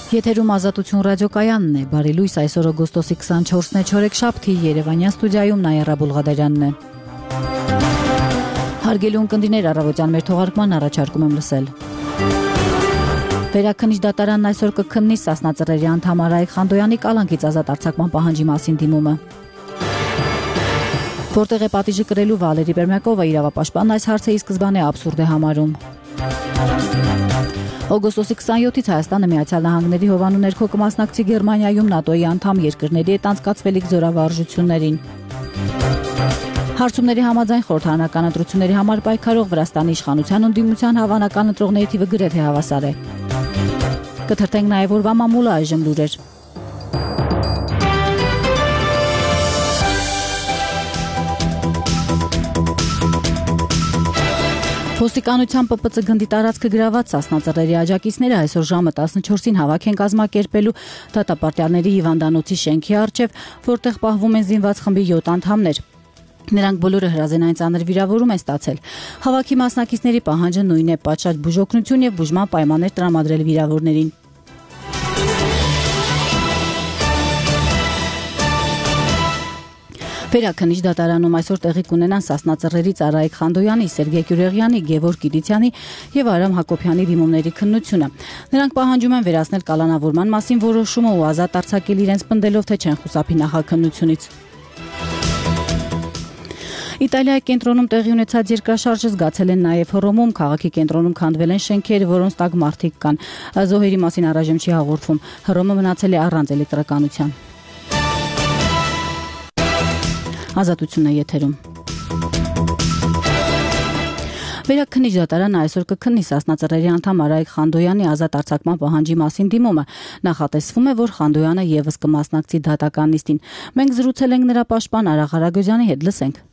Եթերում Ազատություն ռադիոկայանն է, բարի լույս, այսօր օգոստոսի 24-ն է, չորեքշաբթի, Երևանյան ստուդիայում Նաիրա Բուլղադարյանն է։ Հարգելի ունկնդիրներ, առավոտյան մեր թողարկման առաջարկում եմ լսել։ Վերաքննիչ դատարանն այսօր կքննի Սասնա Ծռերի անդամ Արայիկ Խանդոյանի կալանքից ազատ արձակման պահանջի մասին դիմումը։ Որտեղ է պատիժը կրելու Վալերի Բերմյակովը, իրավապաշտպանն այս հարցը ի սկզբանե աբսուրդ է համարում։ Օգոստոսի 27-ից Հայաստանը Միացյալ Նահանգների հովանու ներքո կմասնակցի Գերմանիայում ՆԱՏՕ-ի անդամ երկրների հետ անցկացվելիք զորավարժություններին։ Հարցումների համաձայն խորհրդարանական ընտրությունների համար պայքարող Վրաստանի իշխանության ընդդիմության հավանական ընտրողների թիվը գրեթե հավասար է։ Կթրթենք նաև օրվա մամուլը այժմ լուրեր։ Ոստիկանության ՊՊՑ գնդի տարածքը գրաված Սասնա Ծռերի աջակիցները այսօր ժամը 14-ին հավաք են կազմակերպելու դատապարտյալների հիվանդանոցի շենքի առջև, որտեղ պահվում են զինված խմբի 7 անդամներ։ Նրանք բոլորը հրազենային ծանր վիրավորում են ստացել։ Հավաքի մասնակիցների պահանջը նույնն է՝ պատշաճ բուժօգնություն եւ բուժման պայմաններ տրամադրել վիրավորներին։ Վերաքննիչ դատարանում այսօր տեղի կունենան Սասնա Ծռերից Արայիկ Խանդոյանի, Սերգեյ Կյուրեղյանի, Գևորգ Կիդիցյանի եւ Արամ Հակոբյանի դիմումների քննությունը։ Նրանք պահանջում են վերացնել կալանավորման մասին որոշումը ու ազատ արձակել իրենց պնդելով, թե չեն խուսափի նախաքննությունից։ Իտալիայի կենտրոնում տեղի ունեցած երկրաշարժը զգացել են նաև Հռոմում, քաղաքի կենտրոնում քանդվել են շենքեր, որոնց տակ մարդիկ կան։ Զոհերի մասին առայժմ չի հաղորդվում։ Հռոմը մնացել է առանց էլեկտրականության։ Ազատությունն է եթերում։ Վերաքննիչ դատարանը այսօր կքննի Սասնա Ծռերի անդամ Արայիկ Խանդոյանի ազատ արձակման պահանջի մասին դիմումը։ Նախատեսվում է, որ Խանդոյանը եւս կմասնակցի դատական նիստին։ Մենք զրուցել ենք նրա պաշտպան Արա Ղարագոզյանի հետ, լսենք։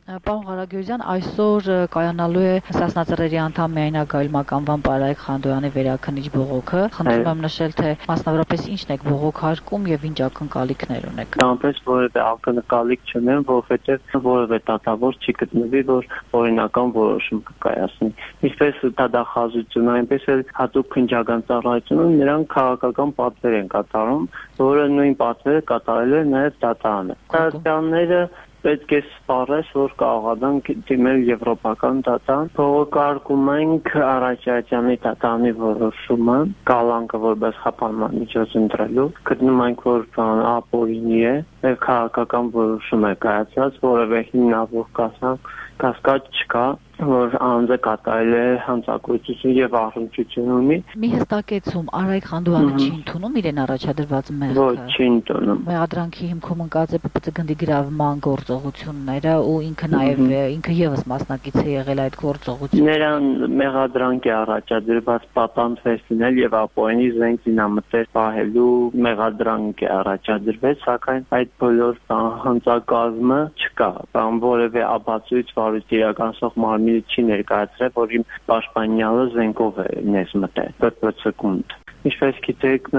Պարոն Ղարագոզյան, այսօր կայանալու է Սասնա Ծռերի անդամ միայնագայլմակ անվան Արայիկ Խանդոյանի վերաքննիչ բողոքը։ Խնդրում եմ նշել, թե մասնավորապես ինչն եք բողոքարկում եւ ինչ ակնկալիքներ ունեք։ Այնպես որևէ ակնկալիք չունեմ, որովհետեւ որևէ դատավոր չի գտնվի, որ օրինական որոշում կկայացնի։ Ինչպես դատախազությունը, այնպես էլ հատուկ քննչական ծառայությունը նրանք քաղաքական պատվեր են կատարում, որը նույն պատվերը կատարել է նաեւ դատարանը։ Դատարանները պետք է սպառես, որ կարողանանք դիմել եվրոպական դատան։ Փոխարկում ենք Արաքելյանի դատանի որոշումը, կալանքը որպես խափանման միջոց ընտրելու։ Գտնում ենք, որ ապօրինի է, եւ քաղաքական որոշում է կայացած, որևէ հիմնավոր կասկած չկա, որ անձը կատարել է հանցագործություն եւ առնչություն ունի։ Մի հստակեցում, Արայիկ Խանդոյանը չի ընդունում իրեն առաջադրված մեղքը։ Ոչ, չի ընդունում։ Մեղադրանքի հիմքում ընկած է ՊՊՑ գնդի գրավման գործողությունները ու ինքը նաեւ ինքը եւս մասնակից է եղել այդ գործողություններին։ Նրան մեղադրանք է առաջադրված պատանդ եւ ապօրինի զենք զինամթեր պահելու մեղադրանք է առաջադրված, սակայն այդ բոլոր հանցակազմը չկա։ Բան որևէ ապացույց վարույթ իրականացող մարմինը չի ներկայացրել, որ իմ պաշտպանյալը զենքով է ներս մտել ՊՊՑ-կունդ։ Ինչպես գիտեք,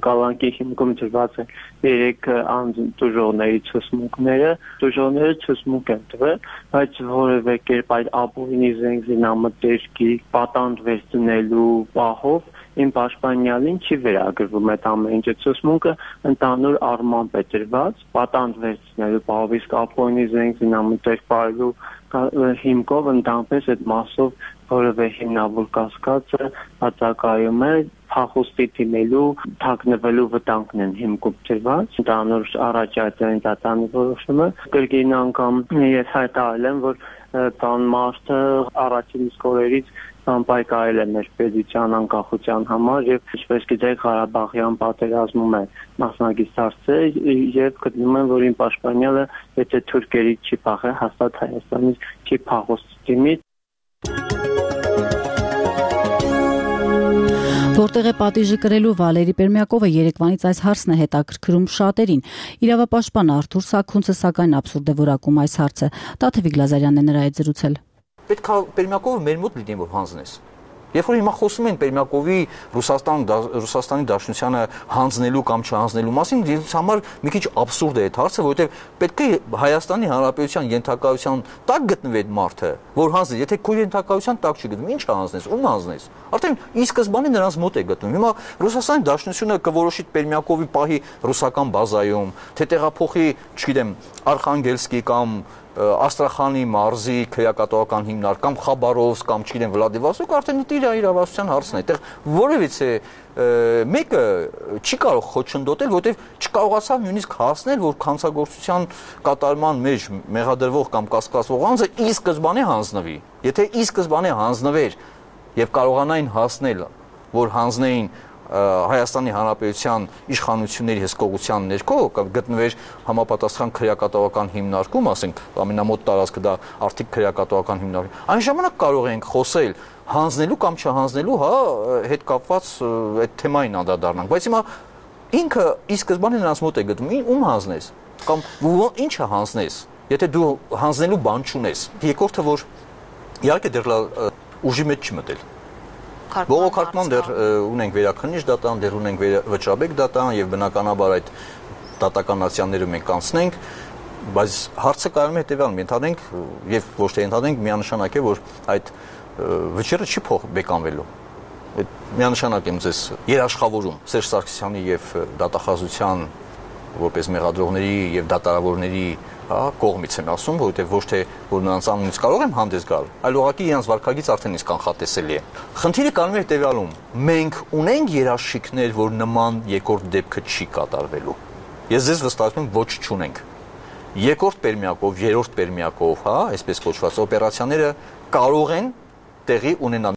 կալանքի հիմքում դրված է 3 անձ դժողների ցուցմունքները, դժողները ցուցմունք են տվել, բայց որևէ կերպ այդ ապօրինի զենք զինամթերքի պատանդ վերցնելու պահով իմ պաշտպանյալին չի վերագրվում այդ ամեն ինչը։ Ցուցմունքը ընդհանուր առմամբ է դրված, պատանդ վերցնելու պահով, իսկ ապօրինի զենք զինամթերք պահելու հիմքով ընդհանրապես այդ մասով որևէ հիմնավոր կասկածը հատակայում է փախուստի դիմելու, թաքնվելու վտանգն են հիմքում դրված։ Ընդհանուր Արաքելյանի դատանի որոշումը կրկին անգամ ես հայտարարել եմ, որ տան մարդը առաջին իսկ օրերից պայքարել է մեր պետության անկախության համար եւ ինչպես գիտեք Ղարաբաղյան պատերազմում է մասնակից դարձել եւ գտնում են, որ իմ պաշտպանյալը եթե թուրքերից չի փախել, հաստատ Հայաստանից չի փախուստի դիմի։ Որտեղ է պատիժը կրելու Վալերի Բերմյակովը երեկվանից այս հարցն է հետաքրքրում շատերին։ Իրավապաշտպան Արթուր Սաքունցը սակայն աբսուրդ է որակում այս հարցը։ Տաթևիկ Լազարյանն է նրա հետ զրուցել։ Պետք է Բերմյակովը մեր մոտ լինի, որ հանձնես։ Երբ որ հիմա խոսում են Պերմյակովի Ռուսաստանի Դաշնությանը հանձնելու կամ չհանձնելու մասին, ինձ համար մի քիչ աբսուրդ է այդ հարցը, որովհետև պետք է Հայաստանի Հանրապետության ենթակայության տակ գտնվի այդ մարդը, որ հանձնի, եթե քո ենթակայության տակ չգտնվի, ինչ հանձնես, ում հանձնես։ Արդեն ի սկզբանե նրանց մոտ է գտնվում։ Հիմա Ռուսաստանի Դաշնությունը կորոշի Պերմյակովի պահի ռուսական բազայում, թե տեղափոխի, չգիտեմ, Արխանգելսկի կամ Աստրախանի մարզի քրեակատողական հիմնարկ կամ Խաբարովսկ կամ չգիտեմ Վլադիվոստոկ արդեն իր իրավասության հարցն է։ Այդտեղ որևիցե մեկը չի կարող խոչընդոտել, որովհետև չկարողացավ նույնիսկ հասնել, որ քանցագործության կատարման մեջ մեղադրվող կամ կասկածվող անձը ի սկզբանե հանձնվի։ Եթե ի սկզբանե հանձնվեր եւ կարողանային հասնել, որ հանձնեին Հայաստանի Հանրապետության իշխանությունների հսկողության ներքո գտնվեր համապատասխան քրեակատողական հիմնարկում, ասենք ամենամոտ տարածքը դա արդիկ քրեակատողական հիմնարկ։ Այն ժամանակ կարող ենք խոսել հանձնելու կամ չհանձնելու, հետ կապված այդ թեմային անդրադառնանք, բայց հիմա ինքը ի սկզբանե նրանց մոտ է գտնվում, ում հանձնես կամ ինչը հանձնես, եթե դու հանձնելու բան չունես։ Երկրորդը, որ իհարկե դեռ ուժի մեջ չի մտել։ Բողոքարկման դեռ ունենք վերաքննիչ դատան, դեռ ունենք վճռաբեկ դատան եւ բնականաբար այդ դատականացիաները մենք անցնենք, բայց հարցը կարելի է հետեւյալն ենթադրենք եւ ոչ թե ենթադրենք, միանշանակ է, որ այդ վճիռը չի բեկանվելու։ Այդ միանշանակ եմ ձեզ երաշխավորում Սերժ Սարգսյանի եւ դատախազության որպես մեղադրողների եւ դատարավորների կողմից եմ ասում, որովհետև ոչ թե որ նրանց անունից կարող եմ հանդես գալ, այլ ուղղակի իրենց վարքագիծ արդեն իսկ կանխատեսելի է։ Խնդիրը կանում է հետևյալում. մենք ունենք երաշխիքներ, որ նման երկրորդ դեպքը չի կատարվելու։ Ես ձեզ վստահում եմ, ոչ չունենք։ Երկրորդ Պերմյակով, երրորդ Պերմյակով, այսպես կոչված օպերացիաները կարող են տեղի ունենալ։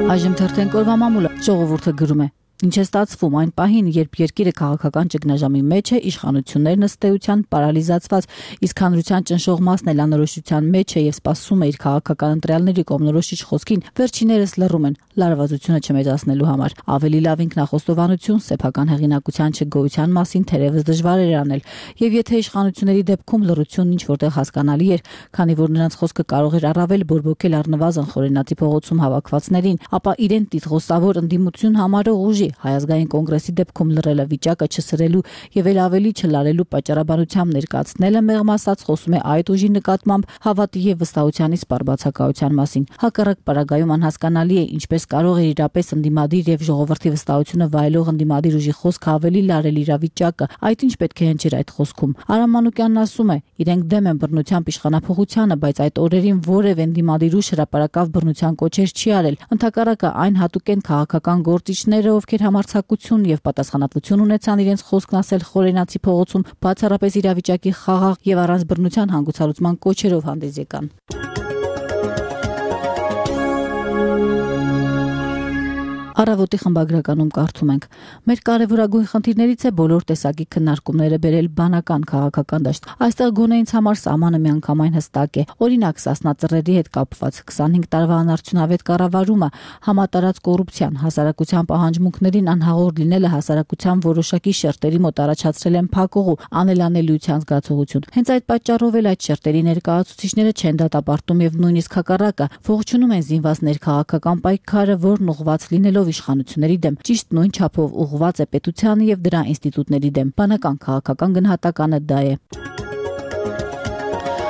Այժմ թերթենք օրվա մամուլը, ժողովուրդը գրում է. Ինչ է ստացվում այն պահին, երբ երկիրը քաղաքական ճգնաժամի մեջ է, իշխանություններն ըստ էության պարալիզացված, իսկ հանրության ճնշող մասն էլ անորոշության մեջ է եւ սպասում է իր քաղաքական ընտրյալների կողմնորոշիչ խոսքին, վերջիներս լռում են, լարվածությունը չմեծացնելու համար։ Ավելի լավ ինքնախոստովանություն, սեփական հեղինակության չգոյության մասին թերևս դժվար էր անել, եւ եթե իշխանությունների դեպքում լռությունն ինչ որտեղ հասկանալի էր, քանի որ նրանց խոսքը կարող էր առավել բորբոքել առնվազն Խորենացի փողոցում հավաքվածներին, ապա իրեն տիտղոսավոր ընդդիմություն համարող ուժի Հայ ազգային կոնգրեսի դեպքում լռելը վիճակը չսրելու եւ էլ ավելի չլարելու պատճառաբանությամբ ներկայացնելը մեղմ ասած խոսում է այդ ուժի նկատմամբ հավատի եւ վստահության իսպառ բացակայության մասին։ Հակառակ պարագայում անհասկանալի է ինչպես կարող է իրապես ընդդիմադիր եւ ժողովրդի վստահությունը վայելող ընդդիմադիր ուժի խոսքը ավելի լարել իրավիճակը։ Այդ ինչ պետք է հնչեր այդ խոսքում։ Արամ Մանուկյանն ասում է. իրենք դեմ են բռնությամբ իշխանափոխությանը, բայց այդ օրերին որևէ ընդդիմադիր ուժ հրապարակավ բռնության կոչեր չի արել։ Ընդհակառակը այն հատուկ են քաղաքական գործիչները, ովքեր համարձակություն եւ պատասխանատվություն ունեցան իրենց խոսքն ասել Խորենացի փողոցում, բացառապես իրավիճակի խաղաղ եւ առանց բռնության հանգուցալուծման կոչերով հանդես եկան։ Առավոտի խմբագրականում կարդում ենք. մեր կարևորագույն խնդիրներից է բոլոր տեսակի քննարկումները բերել բանական քաղաքական դաշտ։ Այստեղ գոնե ինձ համար սահմանը միանգամայն հստակ է։ Օրինակ, Սասնա ծռերի հետ կապված 25 տարվա անարդյունավետ կառավարումը, համատարած կոռուպցիան, հասարակության պահանջմունքներին անհաղոր լինելը հասարակության որոշակի շերտերի մոտ առաջացրել են փակուղու, անելանելիության զգացողություն։ Հենց այդ պատճառով էլ այդ շերտերի ներկայացուցիչները չեն դատապարտում եւ նույնիսկ հակառակը ողջունում են զինված ներքաղաքական պայքարը, որն ուղղված լինելով իշխանությունների դեմ, ճիշտ նույն չափով ուղղված է պետությանը եւ դրա ինստիտուտների դեմ։ Բանական քաղաքական գնահատականը դա է։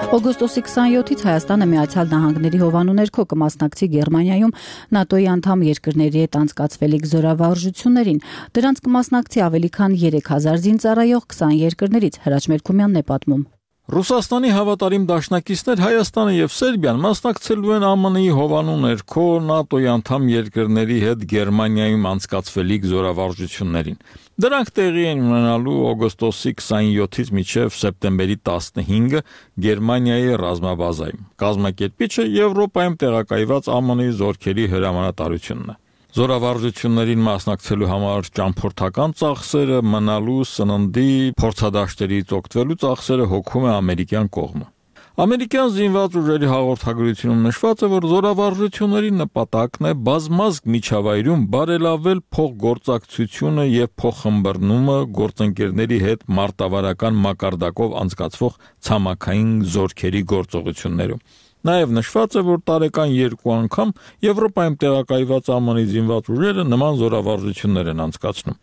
Օգոստոսի 27-ից Հայաստանը Միացյալ Նահանգների հովանու ներքո կմասնակցի Գերմանիայում ՆԱՏՕ-ի անդամ երկրների հետ անցկացվելիք զորավարժություններին։ Դրանց կմասնակցի ավելի քան 3000 զինծառայող 20 երկրներից, Հրաչ Մերքումյանն է պատմում։ Ռուսաստանի հավատարիմ դաշնակիցներ Հայաստանը եւ Սերբիան մասնակցելու են ԱՄՆ-ի հովանու ներքո ՆԱՏՕ-ի անդամ երկրների հետ Գերմանիայում անցկացվելիք զորավարժություններին։ Դրանք տեղի են ունենալու օգոստոսի 27-ից մինչև սեպտեմբերի 15-ը Գերմանիայի ռազմաբազայում։ Կազմակերպիչը Եվրոպայում տեղակայված ԱՄՆ-ի զորքերի հրամանատարությունն է։ Զորավարժություններին մասնակցելու համար ճամփորդական ծախսերը, մնալու, սննդի, փորձադաշտերից օգտվելու ծախսերը հոգում է ամերիկյան կողմը։ Ամերիկյան զինված ուժերի հաղորդագրությունում նշված է, որ զորավարժությունների նպատակն է բազմազգ միջավայրում բարելավել փոխգործակցությունը եւ փոխըմբռնումը գործընկերների հետ մարտավարական մակարդակով անցկացվող ցամաքային զորքերի գործողություններում։ Նաև նշված է, որ տարեկան 2 անգամ Եվրոպայում տեղակայված ԱՄՆ-ի զինված ուժերը նման զորավարժություններ են անցկացնում։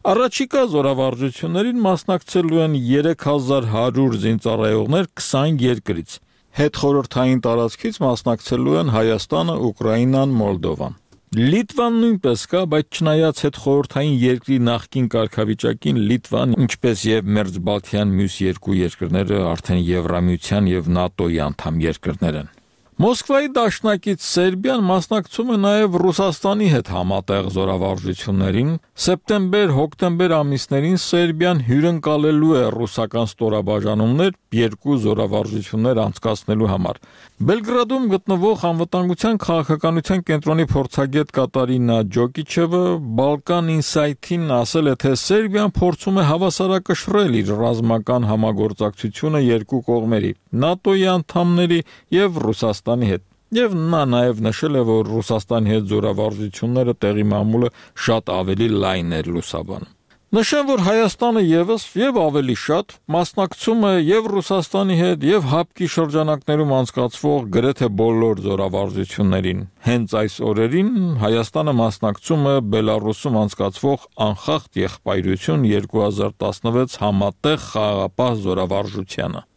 Առաջիկա զորավարժություններին մասնակցելու են 3100 զինծառայողներ 20 երկրից։ Հետխորհրդային տարածքից մասնակցելու են Հայաստանը, Ուկրաինան, Մոլդովան։ Լիտվան նույնպես կա, բայց չնայած հետխորհրդային երկրի նախկին կարգավիճակին Լիտվան, ինչպես եւ Մերձբալթյան մյուս 2 երկրները արդեն Եվրամիության եւ ՆԱՏՕ-ի անդամ երկրներ են։ Մոսկվայի դաշնակից Սերբիան մասնակցում է նաև Ռուսաստանի հետ համատեղ զորավարժություններին։ Սեպտեմբեր-հոկտեմբեր ամիսներին Սերբիան հյուրընկալելու է ռուսական ստորաբաժանումներ 2 զորավարժություններ անցկացնելու համար։ Բելգրադում գտնվող անվտանգության քաղաքականության կենտրոնի փորձագետ Կատարինա Ջոկիչևը Balkan Insight-ին ասել է, թե Սերբիան փորձում է հավասարակշռել իր ռազմական համագործակցությունը 2 կողմերի՝ ՆԱՏՕ-ի անդամների եւ Ռուսաստանի հետ։ Եվ նա նաև նշել է, որ Ռուսաստանի հետ զորավարժությունները տեղի մամուլը շատ ավելի լայն էր լուսաբանում։ Նշեմ, որ Հայաստանը եւս եւ ավելի շատ մասնակցում է եւ Ռուսաստանի հետ եւ ՀԱՊԿ-ի շրջանակներում անցկացվող գրեթե բոլոր զորավարժություններին։ Հենց այս օրերին Հայաստանը մասնակցում է Բելարուսում անցկացվող Անխախտ եղբայրություն 2016 համատեղ խաղաղապահ զորավարժությանը։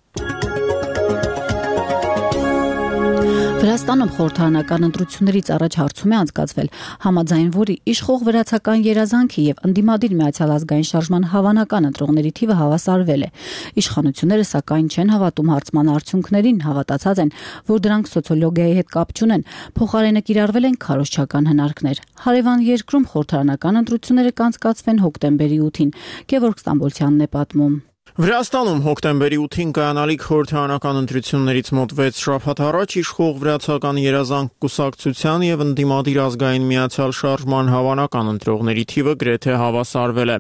Վրաստանում խորհրդարանական ընտրություններից առաջ հարցում է անցկացվել, համաձայն որի իշխող վրացական երազանքի եւ ընդդիմադիր Միացյալ ազգային շարժման հավանական ընտրողների թիվը հավասարվել է։ Իշխանությունները սակայն չեն հավատում հարցման արդյունքներին, հավատացած են, որ դրանք սոցիոլոգիայի հետ կապ չունեն, փոխարենը կիրառվել են քարոզչական հնարքներ։ Հարևան երկրում խորհրդարանական ընտրությունները կանցկացվեն հոկտեմբերի 8-ին, Գևորգ Ստամբոլցյանն է պատմում։ Վրաստանում հոկտեմբերի 8-ին կայանալիք խորհրդարանական ընտրություններից մոտ 6 շաբաթ առաջ իշխող վրացական երազանք կուսակցության եւ ընդդիմադիր ազգային Միացյալ շարժման հավանական ընտրողների թիվը գրեթե հավասարվել է։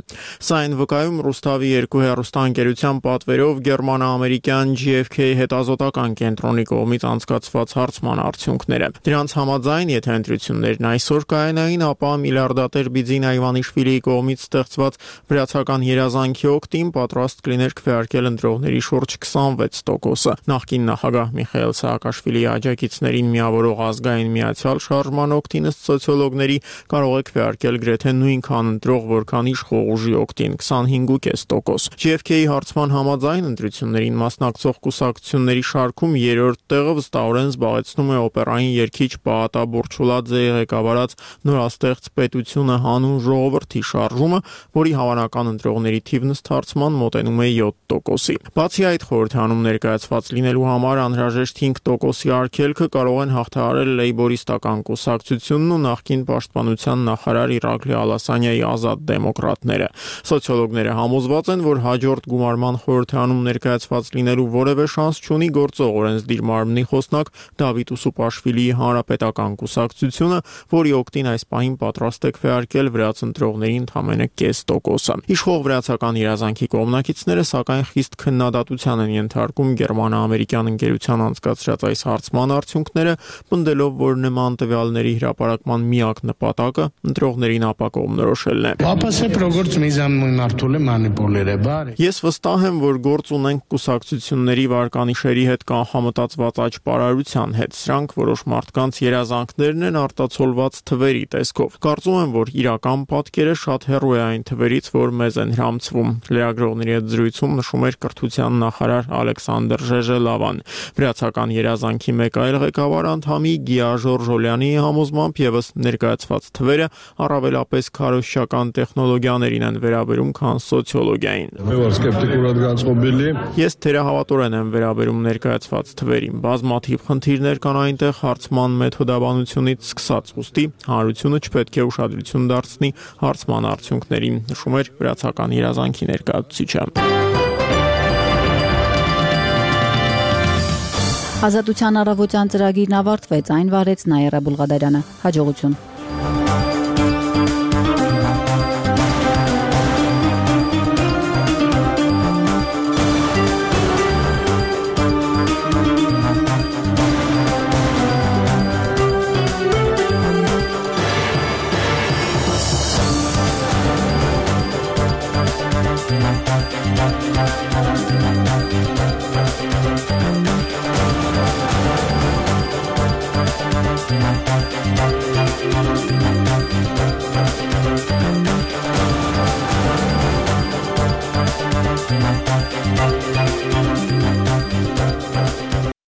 Սա այն վկայում Ռուստավի 2 հեռուստաընկերության պատվերով գերմանա-ամերիկյան GFK հետազոտական կենտրոնի կողմից անցկացված հարցման արդյունքները։ Դրանց համաձայն, եթե ընտրություններն այսօր կայանային, ապա միլիարդատեր Բիձին Այվանիշվիլիի կողմից ստեղծված վրացական երազանքի օգտին պատրաստ կլիներ քվեարկել ընտրողների շուրջ 26%-ը։ Նախկին նախագահ Միխայել Սաակաշվիլիի աջակիցներին միավորող ազգային Միացյալ շարժման օգտին ըստ սոցիոլոգների կարող է քվեարկել գրեթե նույնքան ընտրող, որքան իշխող ուժի օգտին 25.5%։ GFK-ի հարցման համաձայն ընտրություններին մասնակցող կուսակցությունների շարքում 3-րդ տեղը վստահորեն զբաղեցնում է օպերային երգիչ Պաատա Բուրչուլաձեի ղեկավարած նորաստեղծ պետությունը հանուն ժողովրդի շարժումը, որի հավանական ընտրողների թիվն ըստ հարցման մոտենում է 7%-ի։ Բացի այդ, խորհրդանում ներկայացված լինելու համար անհրաժեշտ 5%-ի արգելքը կարող են հաղթահարել լեյբորիստական կուսակցությունն ու նախկին պաշտպանության նախարար Իրակլի Ալասանյայի ազատ դեմոկրատները։ Սոցիոլոգները համոզված են, որ հաջորդ գումարման խորհրդանում ներկայացված լինելու որևէ շանս չունի գործող օրենսդիր մարմնի խոսնակ Դավիթ Ուսուպաշվիլիի հանրապետական կուսակցությունը, որի օգտին այս պահին պատրաստ է քվեարկել վրաց ընտրողների ընդամենը 0.5%-ը։ Իշխող վրացական երազանքի կողմնակիցները սակայն խիստ քննադատության են ենթարկում գերմանա-ամերիկյան ընկերության անցկացրած այս հարցման արդյունքները, պնդելով, որ նման տվյալների հրապարակման միակ նպատակը ընտրողներին ապակողմնորոշելն է։ Ես վստահ եմ, որ գործ ունենք կուսակցությունների վարկանիշերի հետ կանխամտածված աճ պարարության հետ։ Սրանք որոշ մարդկանց երազանքներն են արտացոլված թվերի տեսքով։ Կարծում եմ, որ իրական պատկերը շատ հեռու է այն թվերից, որ մեզ են հրամցվում։ Լրագրողների հետ զրույցում նշում էր կրթության նախարար Ալեքսանդր Ժեժելավան։ Վրացական երազանքի մեկ այլ ղեկավար անդամի Գիա Ժորժոլյանի համոզմամբ եւս ներկայացված թվերը առավելապես քարոզչական տեխնոլոգիաներին են վերաբերում, քան սոցիոլոգիային։ Ես թերահավատորեն եմ վերաբերում ներկայացված թվերին։ Բազմաթիվ խնդիրներ կան այնտեղ հարցման մեթոդաբանությունից սկսած, ուստի հանրությունը չպետք է ուշադրություն դարձնի հարցման արդյունքներին, նշում էր վրացական երազանքի ներկայացուցիչը։ Ազատության առավոտյան ծրագիրն ավարտվեց, այն վարեց Նայերա Բուլղադարյանը։ Հաջողություն։